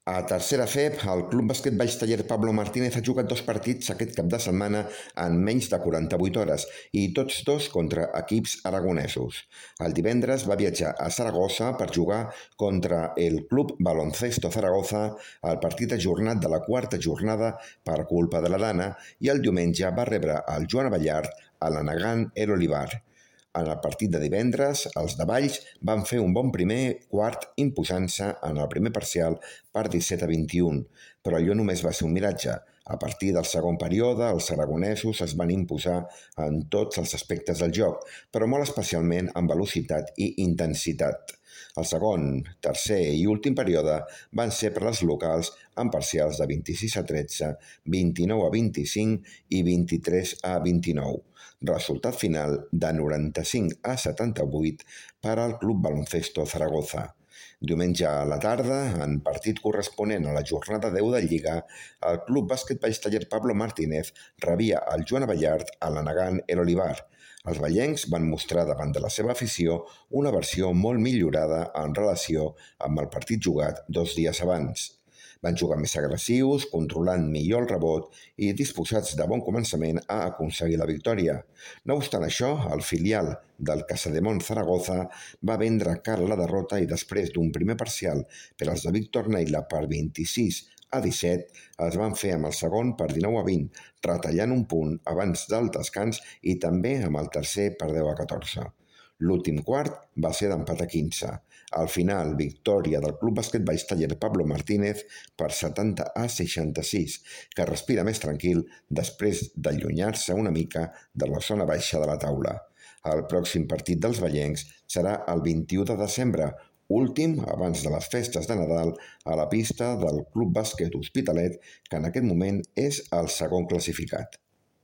A tercera FEB, el Club Bàsquet Valls Taller Pablo Martínez ha jugat 2 partits aquest cap de setmana en menys de 48 hores i tots dos contra equips aragonesos. El divendres va viatjar a Saragossa per jugar contra el Club Baloncesto Zaragoza al partit ajornat de la quarta jornada per culpa de la Dana i el diumenge va rebre el Joan Abellart a l'Anagan El Olivar. En el partit de divendres, els de Valls van fer un bon primer quart imposant-se en el primer parcial per 17-21, però allò només va ser un miratge. A partir del segon període, els aragonesos es van imposar en tots els aspectes del joc, però molt especialment en velocitat i intensitat. El segon, tercer i últim període van ser per les locals amb parcials de 26-13, 29-25 i 23-29. Resultat final de 95-78 per al Club Baloncesto Zaragoza. Diumenge a la tarda, en partit corresponent a la jornada 10 de Lliga, el Club Bàsquet Valls Taller Pablo Martínez rebia el Joan Abellart a l'Anagan El Olivar. Els vallencs van mostrar davant de la seva afició una versió molt millorada en relació amb el partit jugat 2 dies abans. Van jugar més agressius, controlant millor el rebot i disposats de bon començament a aconseguir la victòria. No obstant això, el filial del Casademont Zaragoza va vendre cara a la derrota i després d'un primer parcial per als de Víctor Neila per 26-17, es van fer amb el segon per 19-20, retallant un punt abans del descans i també amb el tercer per 10-14. L'últim quart va ser d'empat a 15. Al final, victòria del Club Bàsquet Valls Taller Pablo Martínez per 70-66, que respira més tranquil després d'allunyar-se una mica de la zona baixa de la taula. El pròxim partit dels vallencs serà el 21 de desembre, últim abans de les festes de Nadal, a la pista del Club Bàsquet Hospitalet, que en aquest moment és el segon classificat.